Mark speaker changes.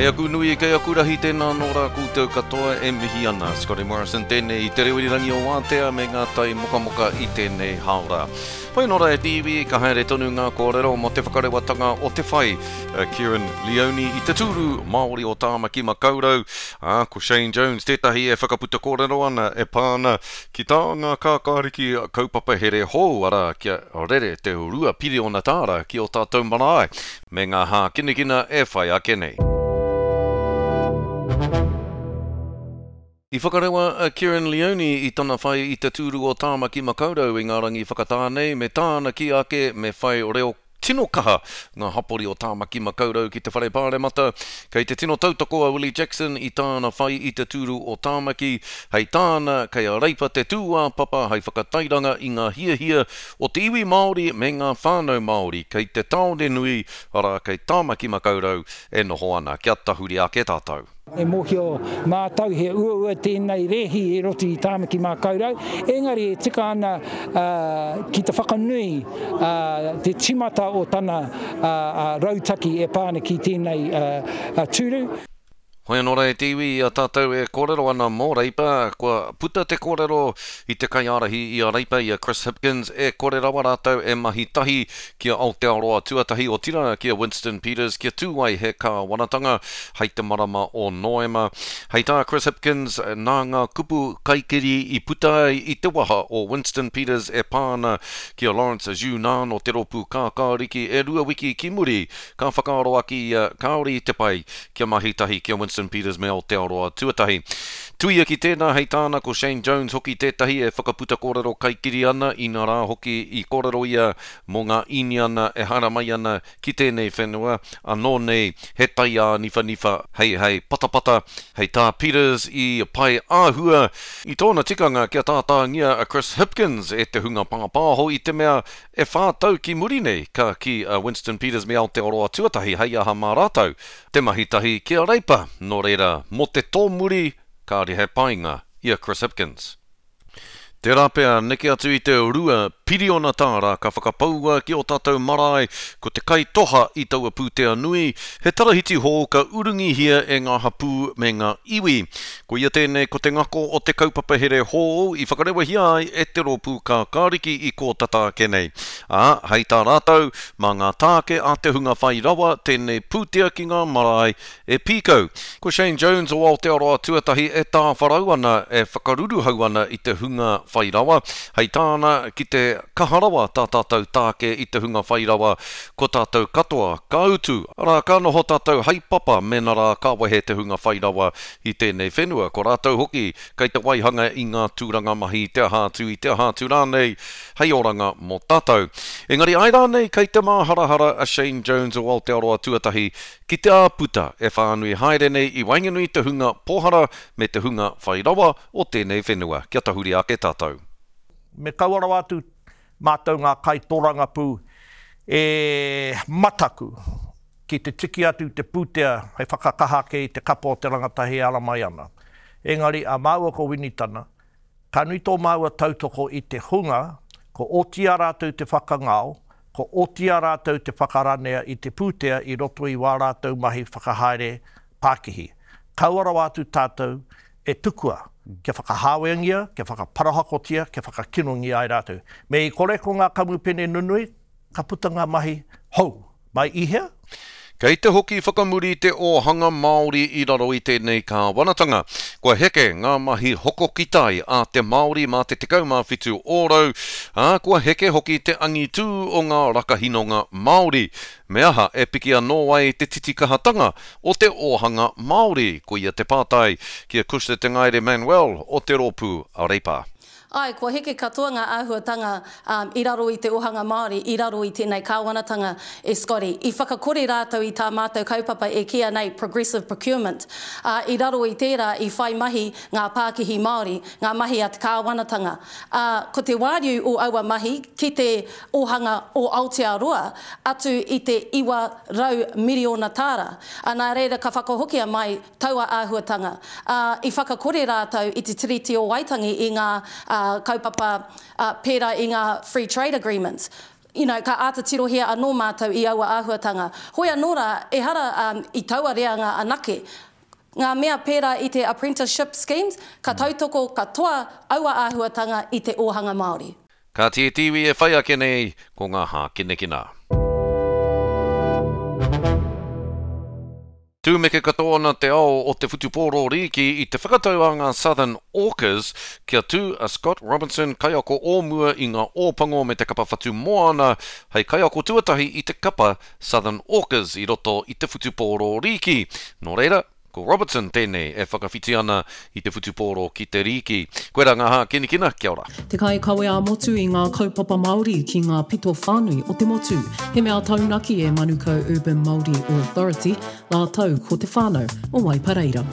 Speaker 1: aku nui, kei aku rahi, tēnā anō rā koutou katoa e mihi ana. Scotty Morrison tēnei i te reo irirangi o Wātea me ngā tai mokamoka i tēnei hāora. Whai anō rā e te iwi, ka haere tonu ngā kōrero mō te whakarewatanga o te whai a Kerrin Leoni i te tūru Māori o Tāmaki Makaurau, ā, ko Shane Jones tētahi e whakaputa kōrero ana e pā ana ki tā ngā kākāriki kaupapa here hou, arā, kia rere te 2 piriona tāra ki ō tātou marae. Me ngā hākinakina e whai ake nei. I whakarewa a Kerrin Leoni i tana whai i te tūru o Tāmaki Makaurau i ngā rangi whakatā nei me tāna kī ake me whai reo tino kaha ngā hapori o Tāmaki Makaurau ki te Whare Pāremata. Kei te tino tautoko a Willie Jackson i tāna whai i te tūru o Tāmaki. Hei tāna, kei a Reipa te tūāpapa hei whakatairanga i ngā hiahia o te iwi Māori me ngā whānau Māori kei te tāone nui, arā, kei Tāmaki Makaurau e noho ana. Kia tahuri ake tātou.
Speaker 2: E mōhio mātou he uaua tēnei rēhi i roto i Tāmaki Makaurau, engari e tika ana ki te whakanui te tīmata o tana rautaki e pā ana ki tēnei tūru.
Speaker 1: Hoi anō rā e te iwi, i a tātou e kōrero ana mō Reipa, kua puta te kōrero i te kaiārahi i a Reipa, i a Chris Hipkins, e kore rawa rātou e mahi tahi ki a Aotearoa Tuatahi, otirā ki a Winston Peters kia tū ai he kāwanatanga hei te marama o Noema. Hei tā Chris Hipkins, nā ngā kupu kaikiri i puta ai i te waha o Winston Peters e pā ana ki a Lawrence Zhu-Nan o te Rōpū Kākāriki e rua wiki ki muri, ka whakaaro ake ia kāore i te pai kia mahi tahi ki a Winston Peters me Aotearoa Tuatahi. Tuia ki tēnā, hei tāna, ko Shane Jones hoki tētahi e whakaputa kōrero kaikiri ana, inā rā hoki i kōrero ia mō ngā Īniana e haere mai ana ki tēnei whenua, anō nei he taiāniwhaniwha hei hei patapata, hei tā Peters i pai āhua i tōna tikanga kia tātāngia a Chris Hipkins e te hunga pāpāho i te mea E whā tau ki muri nei, ka kī a Winston Peters me Aotearoa Tuatahi hei aha mā rātou te mahi tahi ki a Reipa, nō reira, mō te tōmuri, kāore he painga i a Chris Hipkins. Tērā pea, neke atu i te 2 piriona tāra ka whakapaua ki ō tātou marae, ko te kaitoha i taua pūtea nui, he tarahiti hou ka urungihia e ngā hapū me ngā iwi. Koia tēnei ko te ngako o te kaupapa here hōu i whakarewahia ai e te Rōpū Kākāriki i kō tata ake nei. Ā, hei tā rātou, mā ngā tāke a te hunga whai rawa tēnei pūtea ki ngā marae e pīkau. Ko Shane Jones o Aotearoa Tuatahi e tāwharau ana, e whakaruruhau ana i te hunga whai rawa. Hei tāna, ki te kaha rawa tā tātou tāke i te hunga whai rawa, ko tātou katoa ka utu, arā, ka noho tātou hei papa mēnā rā ka wehe te hunga whai rawa i tēnei whenua, ko rātou hoki kei te waihanga i ngā tūranga mahi i te aha atu, i te aha atu rānei, hei oranga mō tātou. Engari āe rānei kei te māharahara a Shane Jones o Aotearoa Tuatahi ki te āputa e whānui haere nei i waenganui i te hunga pōhara me te hunga whai rawa o tēnei whenua. Kia tahuri ake tātou.
Speaker 3: Me kaua rawa atu mātou ngā kaitorangapū e mataku ki te tiki atu i te pūtea hei whakakaha ake i te kapa o te rangatahi e ara mai ana. Engari, a māua ko Winitana, ka nui tō māua tautoko i te hunga ko oti i a rātou te whakangao, ko oti i a rātou te whakaranea i te pūtea i roto i wā rātou mahi whakahaere pākihi. Kaua rawa atu tātou e tukua kia whakahāweangia, kia whakaparahakotia, kia whakakinongia ai rātou. Me i kore ko ngā kamupene nunui, ka puta ngā mahi hou. Mai i hea?
Speaker 1: Kei te hoki whakamuri te ōhanga Māori i raro i tēnei kāwanatanga. Kua heke ngā mahi hoko ki tai a te Māori mā te 17 ōrau, ā, kua heke hoki te angitū o ngā rakahinonga Māori. Me aha e piki anō ai te titikahatanga o te ōhanga Māori? Koia te pātai ki a Cushla Te Ngaere Manuel o te rōpū Reipa.
Speaker 4: Āe, kua heke katoa ngā āhuatanga i raro i te ōhanga Māori, i raro i tēnei kāwanatanga e Scotty. I whakakore rātou i tā mātou kaupapa e kīia nei progressive procurement, ā, i raro i tērā i whai mahi ngā pākihi Māori, ngā mahi a te kāwanatanga. Ā, ko te wāriu o aua mahi ki te ōhanga o Aotearoa atu i te 900 miriona tāra. Ā, nā reira ka whakahokia mai taua āhuatanga, ā, i whakakore rātou i te Tiriti o Waitangi i ngā, ā, kaupapa, ā, pērā i ngā Free Trade Agreements. You know, ka āta tirohia anō mātou i aua āhuatanga. Hoi anō rā, ehara um, i taua reanga anake. Ngā mea pērā i te apprenticeship schemes, ka tautoko katoa aua āhuatanga i te ōhanga Māori.
Speaker 1: Ka tītīwi e whai ake nei ko ngā hākinakina. Tūmeke katoa ana te ao o te whutupōro rīki i te whakatau a ngā Southern Orcas kia tū a Scott Robertson, kaiako o mua i ngā Ōpango me te kapa Whatumoana, hei kaiako tuatahi i te kapa Southern Orcas i roto i te whutupōro rīki. Nō reira, Ko Robertson tēnei e whakawhiti ana i te whutupōro ki te rīki. Koirā ngā hākinakina, kia ora.
Speaker 5: Te kaikawe ā-motu i ngā kaupapa Māori ki ngā pito whānui o te motu. He mea taunaki e Manukau Urban Māori Authority rātou ko te whānau o Waipareira.